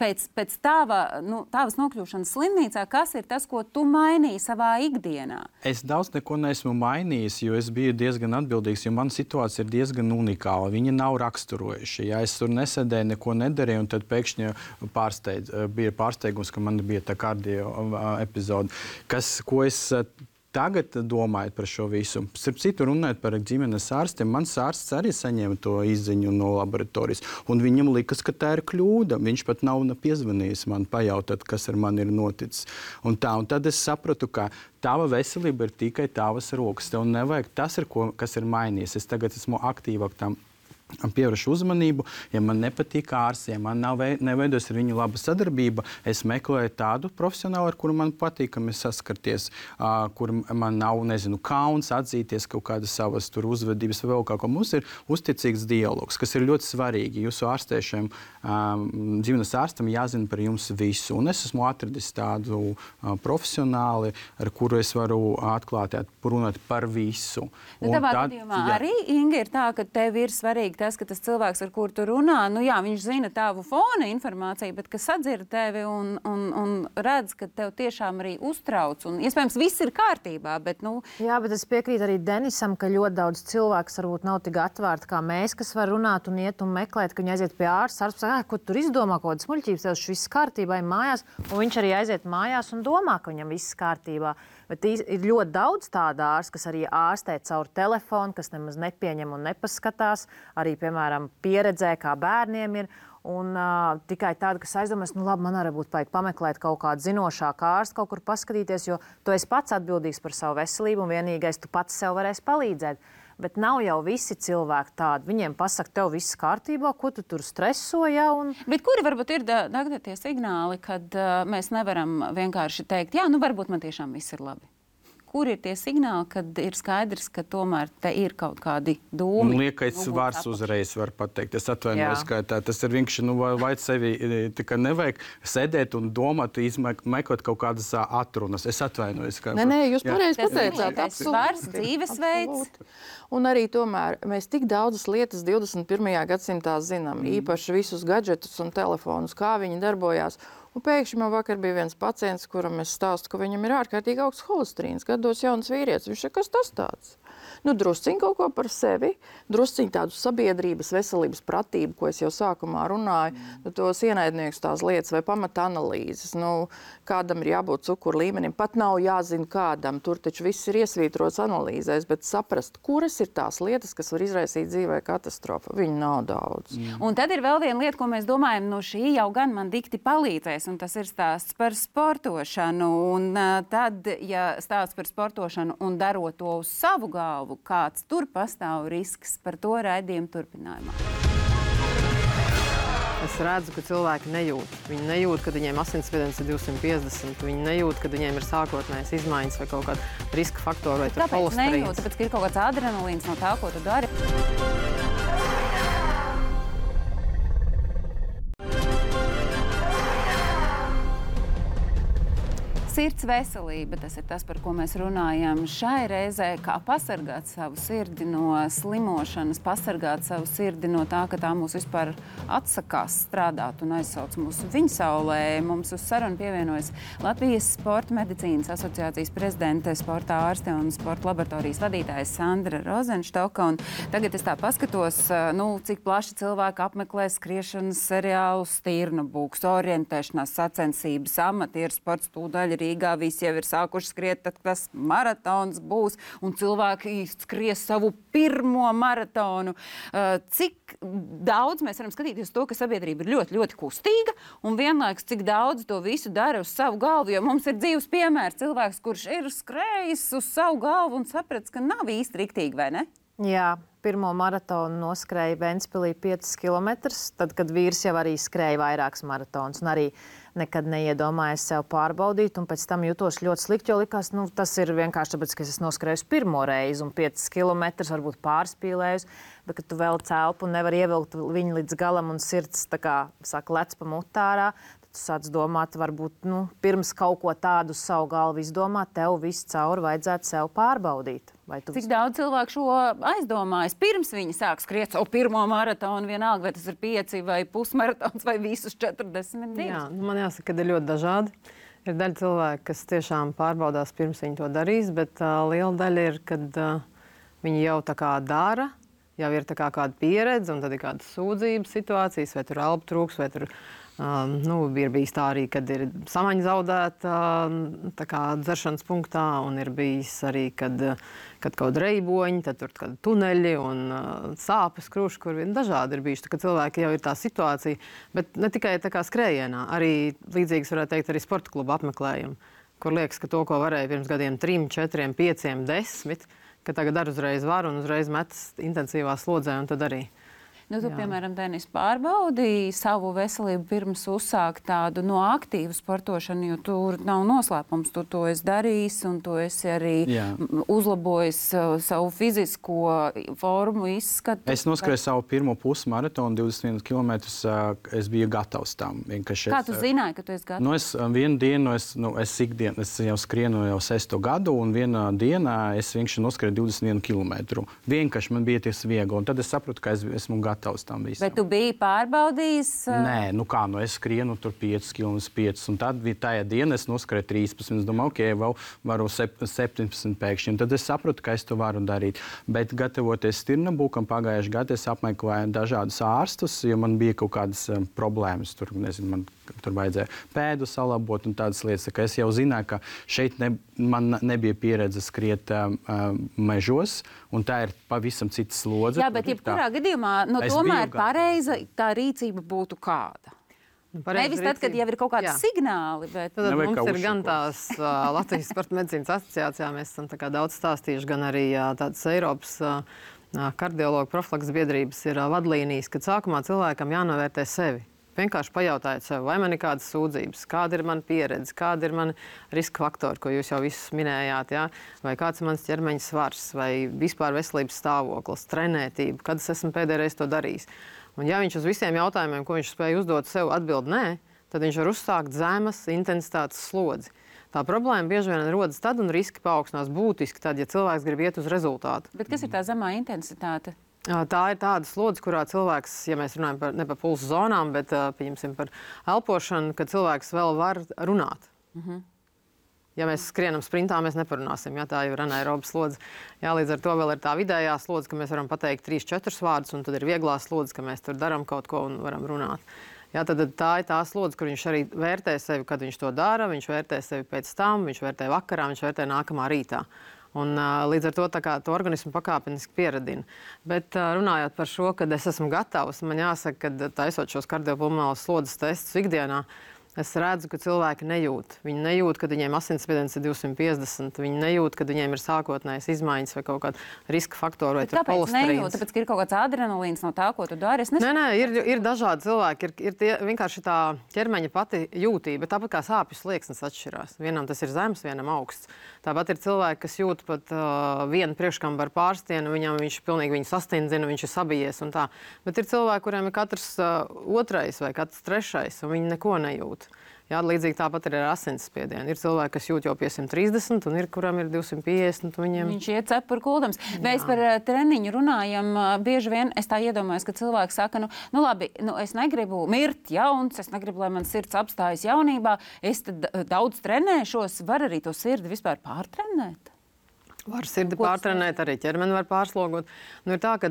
pēc tavas nokļūšanas slimnīcā, kas ir tas, ko tu mainīji savā ikdienā? Es daudz neko neesmu mainījis, jo es biju diezgan atbildīgs, jo mana situācija ir diezgan unikāla. Viņa nav raksturojuša. Ja es tur nesēdēju, neko nedarīju, un tad pēkšņi bija pārsteigums, ka man bija tā kardio epizode. Ko es tagad domājot par šo visu. Starp citu, runājot par ģimenes ārstiem, mans ārsts arī saņēma to izziņu no laboratorijas, un viņam likas, ka tā ir kļūda. Viņš pat nav piezvanījis man pajautāt, kas ar mani ir noticis. Un tad es sapratu, ka tava veselība ir tikai tavas rokas. Tev nevajag tas, kas ir mainījies. Es tagad esmu aktīvāk tam pievēršu uzmanību. Ja man nepatīk ārsts, ja man neveidojas ar viņu laba sadarbība, es meklēju tādu profesionālu, ar kuru man patīkami saskarties, kur man nav, kauns atzīties kaut kādas savas uzvedības vai vēl kaut ko. Mums ir uzticīgs dialogs, kas ir ļoti svarīgi. Jūsu ārstēšiem, ģimenes ārstam jāzina par jums visu. Un es esmu atradis tādu profesionāli, ar kuru es varu atklāti runāt par visu. Tavā gadījumā arī, Inga, ir tā, ka tev ir svarīgi tas, ka tas cilvēks, ar kuru tu runā, viņš zina tavu fona informāciju, bet kas sadzird tevi un redz, ka tev tiešām arī uztrauc. Un iespējams, viss ir kārtībā, bet Jā, bet es piekrītu arī Denisam, ka ļoti daudz cilvēks varbūt nav tik atvērti kā mēs, kas var runāt un iet un meklēt, ka viņi aiziet pie ārsta. Ārsts saka, ko tur izdomā, kaut kādas muļķības, tev viss kārtībā ir mājās, un viņš arī aiziet mājās un domā, ka viņam viss kārtībā. Bet ir ļoti daudz tādu ārstu, kas arī ārstē caur telefonu, kas nemaz nepieņem un nepaskatās. Arī, piemēram, pieredzē, kā bērniem ir. Un tikai tāda, kas aizdomās, labi, man arī būtu vajag pameklēt kaut kādu zinošāku ārstu, kaut kur paskatīties, jo tu esi pats atbildīgs par savu veselību un vienīgais tu pats sev varēsi palīdzēt. Bet nav jau visi cilvēki tādi. Viņiem pasaka, tev viss kārtībā, ko tu tur streso. Bet kuri varbūt ir tie signāli, kad mēs nevaram vienkārši teikt, varbūt man tiešām viss ir labi? Kur ir tie signāli, kad ir skaidrs, ka tomēr te ir kaut kādi dūmi? Liekais vārds uzreiz var pateikt. Es atvainojos, ka tas ir vienkārši, vai sevi tikai nevajag sēdēt un domāt, izmeklēt kaut kādas atrunas. Es atvainojos. Nē, jūs pareizi pateicāt. Tas ir vārds, dzīvesveids. Un arī tomēr mēs tik daudzas lietas 21. gadsimtā zinām, īpaši visus gadžetus un telefonus, kā viņi darbojās. Un pēkšņi man vakar bija viens pacients, kuram es stāstu, ka viņam ir ārkārtīgi augsts holesterīns, gados jauns vīrietis. Viņš saka, kas tas tāds? Drusciņ kaut ko par sevi, drusciņ tādu sabiedrības veselības pratību, ko es jau sākumā runāju, tos ienaidniekus tās lietas vai pamata analīzes. Kādam ir jābūt cukuru līmenim, pat nav jāzina kādam, tur taču viss ir iesvītrots analīzēs, bet saprast, kuras ir tās lietas, kas var izraisīt dzīvē katastrofu. Viņu nav daudz. Un tad ir vēl viena lieta, ko mēs domājam, šī jau gan man dikti palīdzēs, un tas ir stāsts par sportošanu. Un tad, ja stāsts par sportošanu un darot to uz savu galvu, kāds tur pastāv risks, par to raidījumu turpinājumā. Es redzu, ka cilvēki nejūt. Viņi nejūt, ka viņiem asinsspiediens ir 250. Viņi nejūt, ka viņiem ir sākotnējas izmaiņas vai kaut kāda riska faktora vai holesterīns. Kāpēc nejūt? Tāpēc, ka ir kaut kāds adrenalīns no tā, ko tu dari. Sirds veselība, tas ir tas, par ko mēs runājam šai reizē, kā pasargāt savu sirdi no slimošanas, pasargāt savu sirdi no tā, ka tā mūs vispār atsakās strādāt un aizsauc mūsu viņsaulē. Mums uz sarunu pievienojas Latvijas Sporta medicīnas asociācijas prezidente, sporta ārste un sporta laboratorijas vadītājs Sandra Rozenštoka. Un tagad es tā paskatos, cik plaši cilvēki apmeklē skriešanas seriālus, stirnabūks, orientēšanās sacensības, amatieru sports, tūdaļ Rīgā visi jau ir sākuši skriet, tad tas maratons būs, un cilvēki skries savu pirmo maratonu. Cik daudz mēs varam skatīties to, ka sabiedrība ir ļoti, ļoti kustīga, un vienlaikus cik daudz to visu dara uz savu galvu, jo mums ir dzīves piemērs cilvēks, kurš ir skrējis uz savu galvu un saprats, ka nav īsti riktīgi, vai ne? Jā, pirmo maratonu noskrēja Ventspilī 5 kilometrus, tad, kad vīrs jau arī skrēja vairākas maratonus un arī nekad neiedomājos sev pārbaudīt, un pēc tam jutos ļoti slikti, jo likās, tas ir vienkārši tāpēc, ka es noskrēju pirmo reizi un 5 kilometrus, varbūt pārspīlējus, bet, kad tu vēl celpu un nevar ievilkt viņu līdz galam un sirds, tā kā saka, lec pa mutārā, tu sāc domāt, varbūt, pirms kaut ko tādu uz savu galvu izdomāt, tev visu cauri vajadzētu sev pārbaudīt. Cik daudz cilvēku šo aizdomājas, pirms viņi sāk skriet savu pirmo maratonu, vienalga, vai tas ir 5 vai pusmaratons vai visus 42? Jā, man jāsaka, ka ir ļoti dažādi. Ir daļa cilvēku, kas tiešām pārbaudās pirms viņi to darīs, bet liela daļa ir, kad viņi jau tā kā dara, jau ir tā kā kāda pieredze, un tad ir kādas sūdzības situācijas, vai tur elpu trūks, vai tur Ir bijis tā arī, kad ir samaņa zaudēta dzeršanas punktā, un ir bijis arī, kad kaut kāda reiboņa, tad tur kādi tuneļi un sāpes kruši, kur dažādi ir bijuši. Tā, cilvēki jau ir tā situācija, bet ne tikai tā kā skrējienā, arī līdzīgas varētu teikt arī sporta kluba apmeklējumi, kur liekas, ka to, ko varēja pirms gadiem 3, 4, 5, 10, ka tagad ar uzreiz var un uzreiz metas intensīvā slodzē un tad arī. Tu, piemēram, Denis, pārbaudīji savu veselību pirms uzsākt tādu aktīvu sportošanu, jo tur nav noslēpums. Tu to esi darījis un tu esi arī uzlabojis savu fizisko formu, izskatu. Es noskrēju savu pirmo pusmaratonu, 21 km. Es biju gatavs tam. Kā tu zināji, ka tu esi gatavs? Vienu dienu, es jau skrienu jau 6. gadu, un vienā dienā es vienkārši noskrēju 21 km. Vienkārši man bija ties viegli, un tad es sapratu, ka es esmu gatavs tam visam. Bet tu biji pārbaudījis? Nē, es skrienu tur 5 km, un tad bija tajā dienā es noskrēju 13. Es domāju, vēl varu 17 pēkšņi. Un tad es sapratu, ka es to varu darīt. Bet gatavoties Stirnabūkam pagājušajā gadā, es apmeklēju dažādus ārstus, jo man bija kaut kādas problēmas. Man tur vajadzēja pēdu salabot un tādas lietas. Tā es jau zināju, ka šeit man nebija pieredze skriet mežos, un tā ir pavisam cita slodze. Jā, bet jebkurā gadījumā tomēr pareiza tā rīcība būtu kāda. Nevis tad, kad jau ir kaut kādi signāli, bet... Tad mums ir gan tās Latvijas Sporta medicīnas asociācijā, mēs esam daudz stāstījuši, gan arī tādas Eiropas kardiologu profilakses biedrības ir vadlīnijas, kad sākumā cilvēkam jānovērtē sevi. Vienkārši pajautājiet sev, vai man ir kādas sūdzības, kāda ir mana pieredze, kāda ir mana riska faktori, ko jūs jau visus minējāt, vai kāds ir mans ķermeņa svars, vai vispār veselības stāvoklis, trenētība, kad es esmu pēdējais to darījis. Un ja viņš uz visiem jautājumiem, ko viņš spēja uzdot sev, atbild nē, tad viņš var uzsākt zemes intensitātes slodzi. Tā problēma bieži vien rodas tad un riski paaugstinās būtiski tad, ja cilvēks grib iet uz rezultātu. Bet kas ir tā zemā intensitāte? Tā ir tāda slodze, kurā cilvēks, ja mēs runājam ne par pulsu zonām, bet pieņemsim par elpošanu, kad cilvēks vēl var runāt. Ja mēs skrienam sprintā, mēs neparunāsim. Tā jau ir anaeroba slodze. Līdz ar to vēl ir tā vidējā slodze, ka mēs varam pateikt 3-4 vārdus, un tad ir vieglā slodze, ka mēs tur darām kaut ko un varam runāt. Tad tā ir tā slodze, kur viņš arī vērtē sevi, kad viņš to dara, viņš vērtē sevi pēc tam, viņš vērtē vakarā, viņš vērtē nākamā rītā. Un, līdz ar to organismu pakāpeniski pieradina. Bet runājot par šo, kad es esmu gatavs, man jāsaka, ka taisot šos kardiopulmonālos slodzes testus ikdienā, es redzu, ka cilvēki nejūt. Viņi nejūt, kad viņiem asinsspiediens ir 250. Viņi nejūt, kad viņiem ir sākotnējas izmaiņas vai kaut kāda riska faktora vai holesterīns. Tāpēc, ka ir kaut kāds adrenalīns no tā, ko tu dari? Nē, ir dažādi cilvēki. Ir vienkārši tā ķermeņa pati jūtība. Tāpat kā sāpju slieksnis atšķirās. Vienam tas ir zems, vienam augsts. Tāpat ir cilvēki, kas jūt pat vienu priekškambaru pārstienu, viņš pilnīgi viņu sastindzina, viņš ir sabijies un tā. Bet ir cilvēki, kuriem ir katrs otrais vai katrs trešais, un viņi neko nejūt. Līdzīgi tāpat ir ar asinsspiedienu. Ir cilvēki, kas jūt jau pie 130, un ir, kuram ir 250. Viņš iet cepuri kuldams. Mēs par treniņu runājam. Bieži vien es tā iedomājos, ka cilvēki saka, labi, es negribu mirt jauns, es negribu, lai man sirds apstājas jaunībā, es tad daudz trenēšos, var arī to sirdi vispār pārtrenēt? Var sirdi pārtrenēt, arī ķermeni var pārslogot. Ir tā, ka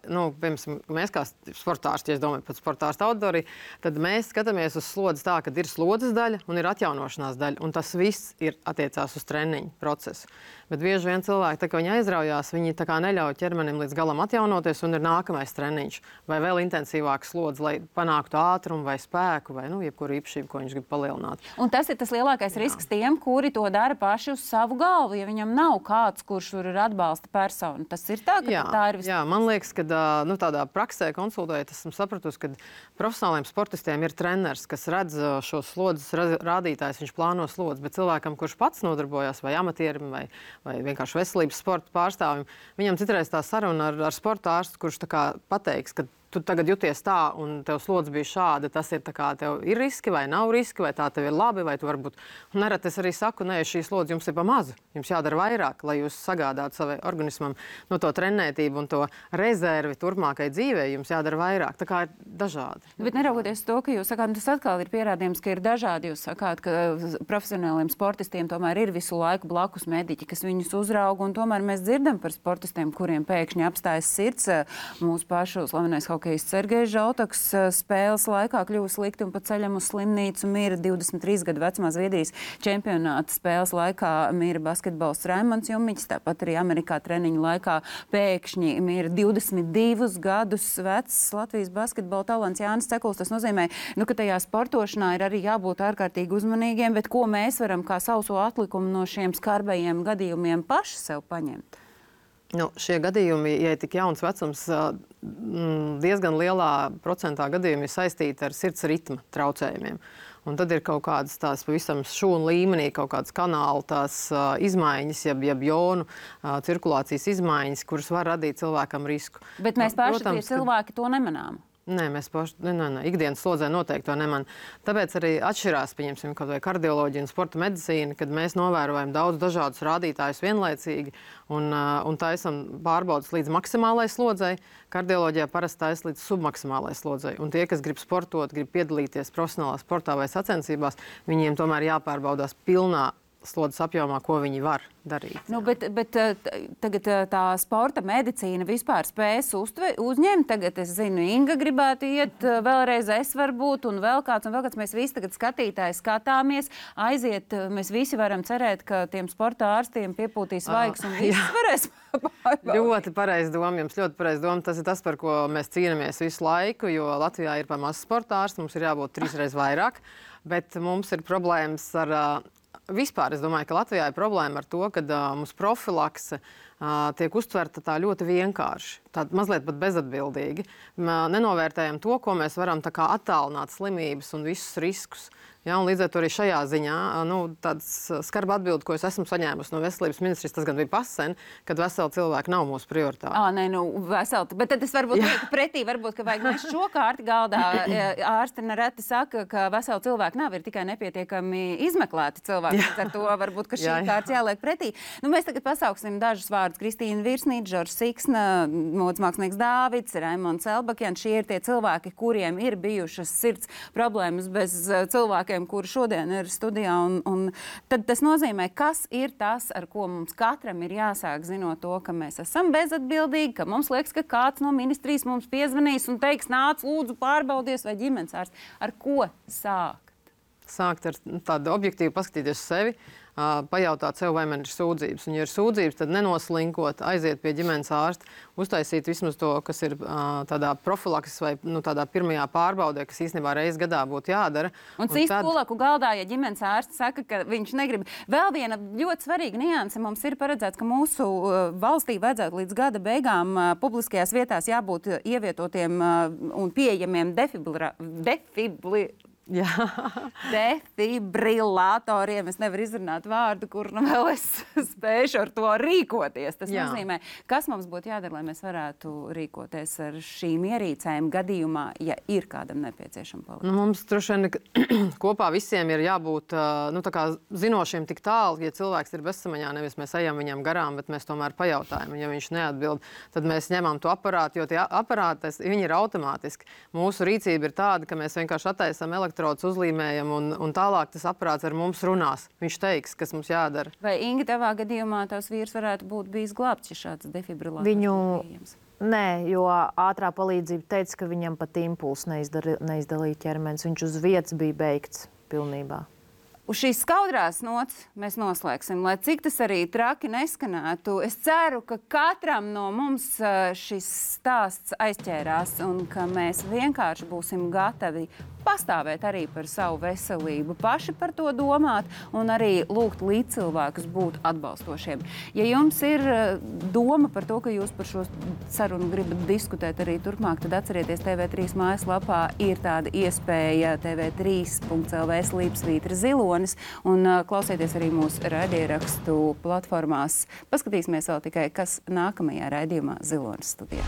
mēs kā sportārsti, ja es domāju par sportārstu auditoriju, tad mēs skatāmies uz slodzes tā, ka ir slodzes daļa un ir atjaunošanās daļa. Un tas viss ir attiecās uz treniņu procesu. Bet bieži vien cilvēki, tā kā viņi aizraujās, viņi tā kā neļauj ķermenim līdz galam atjaunoties, un ir nākamais treniņš vai vēl intensīvāks slodze, lai panāktu ātrumu vai spēku vai jebkuru īpašību, ko viņš grib palielināt. Un tas ir tas lielākais risks tiem, kuri to dara paši uz savu galvu, ja viņam nav kāds, kurš tur ir atbalsta persona. Tas ir tā, ka tā ir Jā, man liekas, ka tādā praksē konsultējot, esmu sapratusi, ka profesionāliem sportistiem ir treneris, kas redz šos slodzes rādītājus, viņš plāno slodzes, bet cilvēkam, kurš pats nodarbojās vai amatierim vai vienkārši veselības sporta pārstāvim, viņam citreiz tā saruna ar sporta ārstu, kurš tā kā pateiks, ka tu tagad jūties tā, un tev slodze bija šāda, tas ir tā kā tev ir riski vai nav riski, vai tā tev ir labi, vai tu varbūt... Un nerad es arī saku, nē, šī slodze jums ir pa mazu. Jums jādara vairāk, lai jūs sagādātu savai organismam to trenētību un to rezervi turpmākai dzīvē. Jums jādara vairāk. Tā kā ir dažādi. Bet neraugoties to, ka jūs sakāt, tas atkal ir pierādījums, ka ir dažādi. Jūs sakāt, ka profesionāliem sportistiem tomēr ir visu laiku blakus mediķi, kas viņus uzrauga, un tomēr mēs dzirdam par sportistiem, kuriem pēkšņi apstājas sirds. Mūsu pašu slavenais hokejists Sergejs Žaltoks spēles laikā kļuva slikti un pa ceļam uz slimnīcu mira 23 gadu vecumā Zviedrijas čempionāta spēles laikā mira basketbols Raimonds Jumiņš, tāpat arī Amerikā treniņu laikā pēkšņi mira 22 gadus vecs Latvijas basketbola talants Jānis Cekuls. Tas nozīmē, ka tajā sportošanā ir arī jābūt ārkārtīgi uzmanīgiem, bet ko mēs varam kā sauso atlikumu no šiem skarbajiem gadījumiem paši sev paņemt? Šie gadījumi, ja ir tik jauns vecums, diezgan lielā procentā gadījumi ir saistīti ar sirds ritma traucējumiem. Un tad ir kaut kādas tās pavisam šūnu līmenī, kaut kādas kanāla tās izmaiņas, jeb jonu cirkulācijas izmaiņas, kuras var radīt cilvēkam risku. Bet mēs paši tie cilvēki to nemanām. Nē, mēs paši ikdienas slodzē noteikti to nemanām. Tāpēc arī atšķirās, pieņemsim, kaut vai kardioloģija un sporta medicīna, kad mēs novērojam daudz dažādus rādītājus vienlaicīgi un taisam pārbaudas līdz maksimālai slodzei. Kardioloģijā parasti taisa līdz submaksimālai slodzei. Un tie, kas grib sportot, grib piedalīties profesionālā sportā vai sacensībās, viņiem tomēr jāpārbaudās pilnā slodzes apjomā, ko viņi var darīt. Bet tagad tā sporta medicīna vispār spējas uzņemt. Tagad es zinu, Inga gribētu iet, vēlreiz es varbūt, un vēl kāds. Mēs visi tagad skatītāji skatāmies, aiziet. Mēs visi varam cerēt, ka tiem sporta ārstiem piepūtīs vaigs un viss varēs pārbaudīt. Ļoti pareiz doma jums, ļoti pareiz doma. Tas ir tas, par ko mēs cīnāmies visu laiku, jo Latvijā ir par maz sporta ārstu, mums ir jābūt 3 reizes vairāk, bet mums ir problēmas ar vispār. Es domāju, ka Latvijā ir problēma ar to, ka mums profilakse tiek uztverta tā ļoti vienkārši, tā mazliet pat bezatbildīgi. Nenovērtējam to, ko mēs varam tā kā attālināt slimības un visus riskus. Ja, un līdz ar to arī šajā ziņā tāds skarba atbildi, ko es esmu saņēmusi no veselības ministrijas, tas gan bija pasen, kad veseli cilvēki nav mūsu prioritāte. Veseli. Bet tad es varbūt lieku pretī, varbūt, ka vajag mēs šo kārti galdā. Ārsti nereti saka, ka veseli cilvēki nav, ir tikai nepietiekami izmeklēti cilvēki. Ar to varbūt, ka šī kārts jāliek pretī. Mēs tagad pasauksim dažus vārdus. Kristīna Virsnīte, Žoržs Siksna, modes mākslinieks Dāvids, Raimonds Elbakjans. Šie ir tie cilvēki, kuriem ir bijušas sirds problēmas bez cilvēkiem, kuri šodien ir studijā. Un tad tas nozīmē, kas ir tas, ar ko mums katram ir jāsāk, zinot to, ka mēs esam bezatbildīgi, ka mums liekas, ka kāds no ministrijas mums piezvanīs un teiks, nāc, lūdzu, pārbaudies vai ģimenes ārsts. Ar ko sākt? Sākt ar tādu objektīvu paskatīties sevi, pajautāt sev, vai man ir sūdzības. Un, ja ir sūdzības, tad nenoslinkot, aiziet pie ģimenes ārsta, uztaisīt vismaz to, kas ir tādā profilakses vai tādā pirmajā pārbaudē, kas īstenībā reiz gadā būtu jādara. Un cīst kulaku galdā, ja ģimenes ārsts saka, ka viņš negrib. Vēl viena ļoti svarīga nianse mums ir paredzēts, ka mūsu valstī vajadzētu līdz gada beigām publiskajās vietās jābūt ievietotiem un pieejamiem defibrilatoriem. Es nevaru izrunāt vārdu, kur vēl es spēšu ar to rīkoties. Tas nozīmē, kas mums būtu jādara, lai mēs varētu rīkoties ar šīm ierīcēm gadījumā, ja ir kādam nepieciešama palīdzība. Mums droši vien kopā visiem ir jābūt tā kā zinošiem tik tālu, ja cilvēks ir bezsamaņā, nevis mēs ejam viņam garām, bet mēs tomēr pajautājam. Ja viņš neatbild, tad mēs ņemam to aparātu, jo tie aparāti, viņi ir automātiski. Mūsu rīcība ir tāda, ka mēs vienkārši attaisam elektrodus, uzlīmējam un tālāk tas aparāts ar mums runās. Viņš teiks, kas mums jādara. Vai, Inga, tavā gadījumā tavs vīrs varētu būt bijis glābts, ja šāds defibrilātors? Nē, jo ātrā palīdzība teica, ka viņam pat impulss neizdalīja ķermenis. Viņš uz vietas bija beigts pilnībā. Uz šīs skaudrās nots mēs noslēgsim, lai cik tas arī traki neskanētu. Es ceru, ka katram no mums šis stāsts aizķērās un ka mēs vienkārši būsim gatavi pastāvēt arī par savu veselību, paši par to domāt un arī lūgt līdzcilvēkus būt atbalstošiem. Ja jums ir doma par to, ka jūs par šo sarunu gribat diskutēt arī turpmāk, tad atcerieties, TV3 mājaslapā ir tāda iespēja tv3.lv/zilonis un klausieties arī mūsu raidierakstu platformās. Paskatīsimies vēl tikai, kas nākamajā raidījumā Zilonis studijā.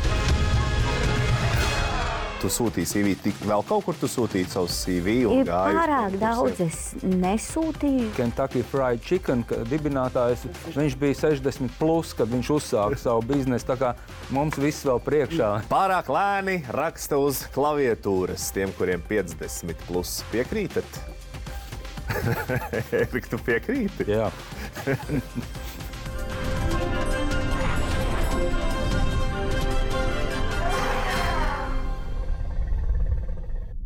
Tu sūtīji CV, vēl kaut kur tu sūtīji savu CV un gāju? Ir pārāk daudz, es nesūtīju. Kentucky Fried Chicken dibinātājs, viņš bija 60+, kad viņš uzsāka savu biznesu, tā kā mums viss vēl priekšā. Pārāk lēni raksta uz klaviatūras tiem, kuriem 50+. Piekrītat? Erik, tu piekrīti? Jā.